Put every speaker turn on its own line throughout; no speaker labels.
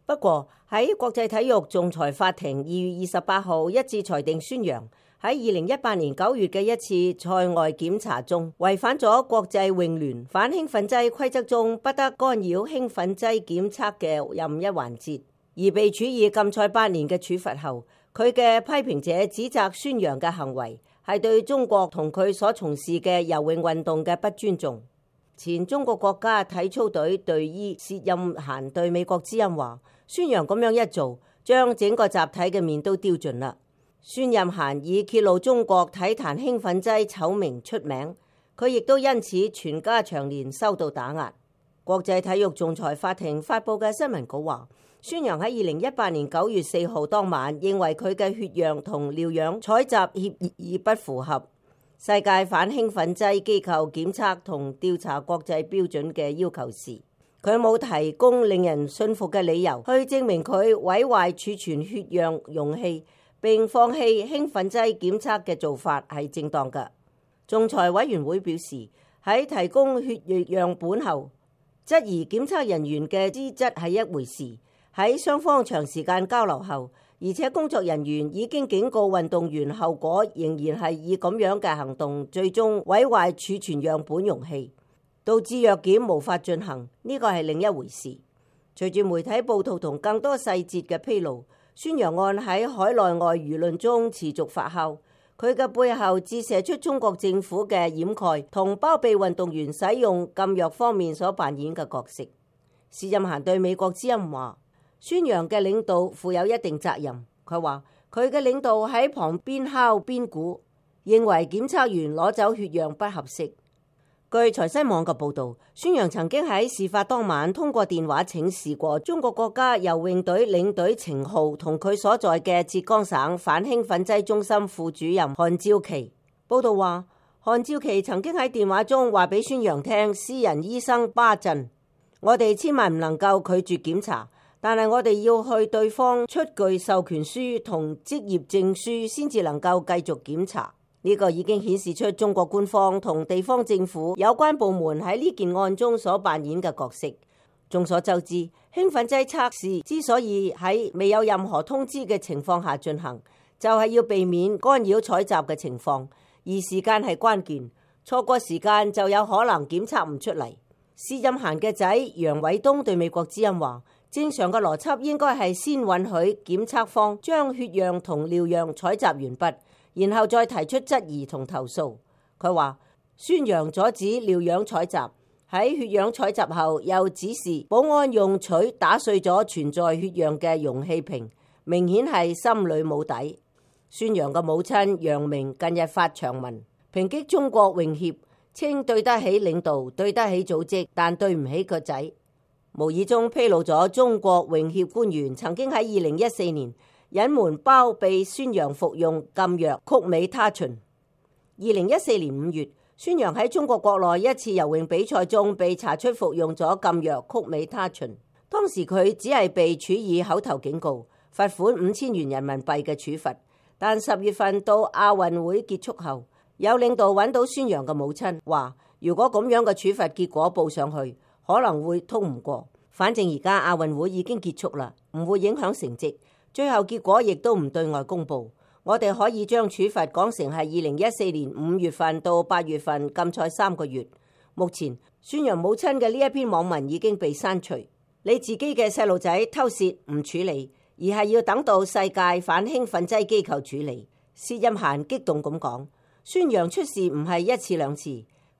不過喺國際體育仲裁法庭2月28號一致裁定孫楊喺2018年9月嘅一次賽外檢查中違反咗國際泳聯反興奮劑規則中不得干擾興奮劑檢測嘅任一環節，而被處以禁賽8年嘅處罰後，佢嘅批評者指責孫楊嘅行為係對中國同佢所從事嘅游泳運動嘅不尊重。前中國國家體操隊隊醫薛任嫻對美國之音話：孫楊咁樣一做，將整個集體嘅面都丟盡啦。薛任嫻以揭露中國體壇興奮劑醜聞出名，佢亦都因此全家長年受到打壓。國際體育仲裁法庭發佈嘅新聞稿話：孫楊喺2018年9月4號當晚認為佢嘅血樣同尿樣採集協議不符合世界反興奮劑機構檢測同調查國際標準嘅要求時，佢冇提供令人信服嘅理由去證明佢毀壞儲存血樣容器並放棄興奮劑檢測嘅做法係正當嘅。仲裁委員會表示，喺提供血液樣本後，質疑檢測人員嘅資質係一回事；喺雙方長時間交流後，而且工作人員已經警告運動員，後果仍然係以咁樣嘅行動最終毀壞儲存樣本容器，導致藥檢無法進行，呢個係另一回事。隨住媒體報道同更多細節嘅披露，孫楊案喺海內外輿論中持續發酵，佢嘅背後折射出中國政府嘅掩蓋同包庇運動員使用禁藥方面所扮演嘅角色。薛任嫻對美國之音話：孫楊嘅領導負有一定責任。佢話佢嘅領導喺旁邊敲邊鼓，認為檢測員攞走血樣不合適。據財新網嘅報導，孫楊曾經喺事發當晚通過電話請示過中國國家游泳隊領隊程浩同佢所在嘅浙江省反興奮劑中心副主任韓照琪。報導話，韓照琪曾經喺電話中話俾孫楊聽，私人醫生巴震，我哋千萬唔能夠拒絕檢查，但係我哋要去對方出具授權書同職業證書先至能夠繼續檢查。呢個已經顯示出中國官方同地方政府有關部門喺呢件案中所扮演嘅角色。眾所周知，興奮劑測試之所以喺未有任何通知嘅情況下進行，就係要避免干擾採集嘅情況，而時間係關鍵，錯過時間就有可能檢測唔出嚟。薛任嫻嘅仔楊偉東對美國之音話：正常嘅邏輯應該係先允許檢測方將血樣同尿樣採集完畢，然後再提出質疑同投訴。佢話孫楊阻止尿樣採集，喺血樣採集後又指示保安用錘打碎咗存在血樣嘅容器瓶，明顯係心裏冇底。孫楊嘅母親楊明近日發長文抨擊中國泳協，稱對得起領導，對得起組織，但對唔起個仔。無意中披露咗中國泳協官員曾經喺2014年隱瞞包庇孫楊服用禁藥曲美他嗪。2014年5月，孫楊喺中國國內一次游泳比賽中被查出服用咗禁藥曲美他嗪，當時佢只係被處以口頭警告、罰款5000元人民幣嘅處罰。但10月份到亞運會結束後，有領導揾到孫楊嘅母親，話如果咁樣嘅處罰結果報上去，可能會通唔過。反正而家亞運會已經結束啦，唔會影響成績，最後結果亦都唔對外公佈。我哋可以將處罰講成係2014年5月份到8月份禁賽3個月。目前孫楊母親嘅呢一篇網文已經被刪除。你自己嘅細路仔偷竊唔處理，而係要等到世界反興奮劑機構處理。薛任嫻激動咁講：孫楊出事唔係一次兩次，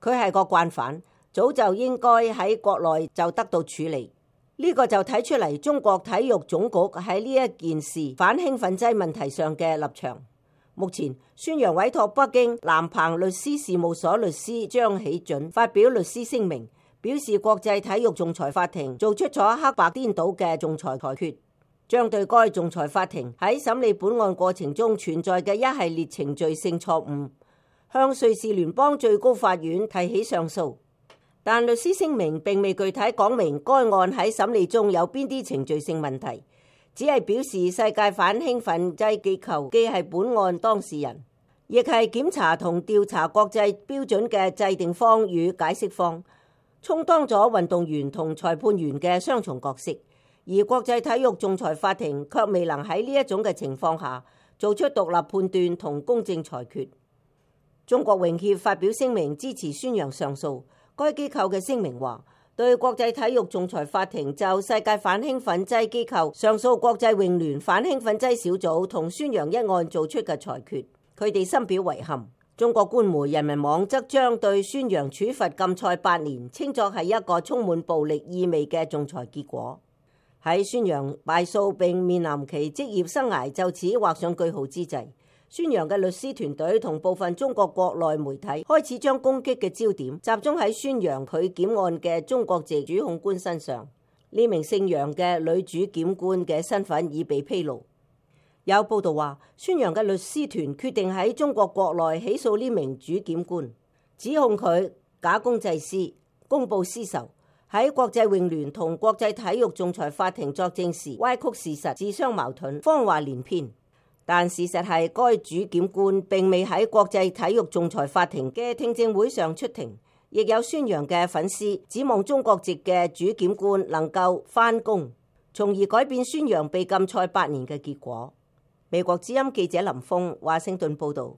佢係個慣犯，早就應該喺國內就得到處理。呢個就睇出嚟中國體育總局喺呢一件事反興奮劑問題上嘅立場。目前孫楊委託北京南鵬律師事務所律師張喜準發表律師聲明，表示國際體育仲裁法庭做出咗黑白顛倒嘅仲裁裁決，將對該仲裁法庭喺審理本案過程中存在嘅一系列程序性錯誤，向瑞士聯邦最高法院提起上訴。但律師聲明並未具體講明該案喺審理中有邊啲程序性問題，只係表示世界反興奮劑機構既係本案當事人，亦係檢查同調查國際標準嘅制定方與解釋方，充當咗運動員同裁判員嘅雙重角色，而而國際體育仲裁法庭卻未能喺呢一種嘅情況下做出獨立判斷同公正裁決。中國泳協發表聲明支持孫楊上訴。該機構嘅聲明話，對國際體育仲裁法庭就世界反興奮劑機構上訴國際泳聯反興奮劑小組同孫楊一案做出嘅裁決，佢哋深表遺憾。中國官媒人民網則將對孫楊處罰禁賽8年，稱作係一個充滿暴力意味嘅仲裁結果。喺孫楊敗訴並面臨其職業生涯就此畫上句號之際，孫楊嘅律師團隊同部分中國國內媒體開始將攻擊嘅焦點集中喺孫楊佢檢案嘅中國籍主控官身上。呢名姓楊嘅女主檢官嘅身份已被披露。有報道話，孫楊嘅律師團決定喺中國國內起訴呢名主檢官，指控佢假公濟私、公報私仇，喺國際泳聯同國際體育仲裁法庭作證時歪曲事實、自相矛盾、謊話連篇。但事實係，該主檢官並未喺國際體育仲裁法庭嘅聽證會上出庭，亦有孫楊嘅粉絲指望中國籍嘅主檢官能夠翻供，從而改變孫楊被禁賽8年嘅結果。美國之音記者林峰華盛頓報道。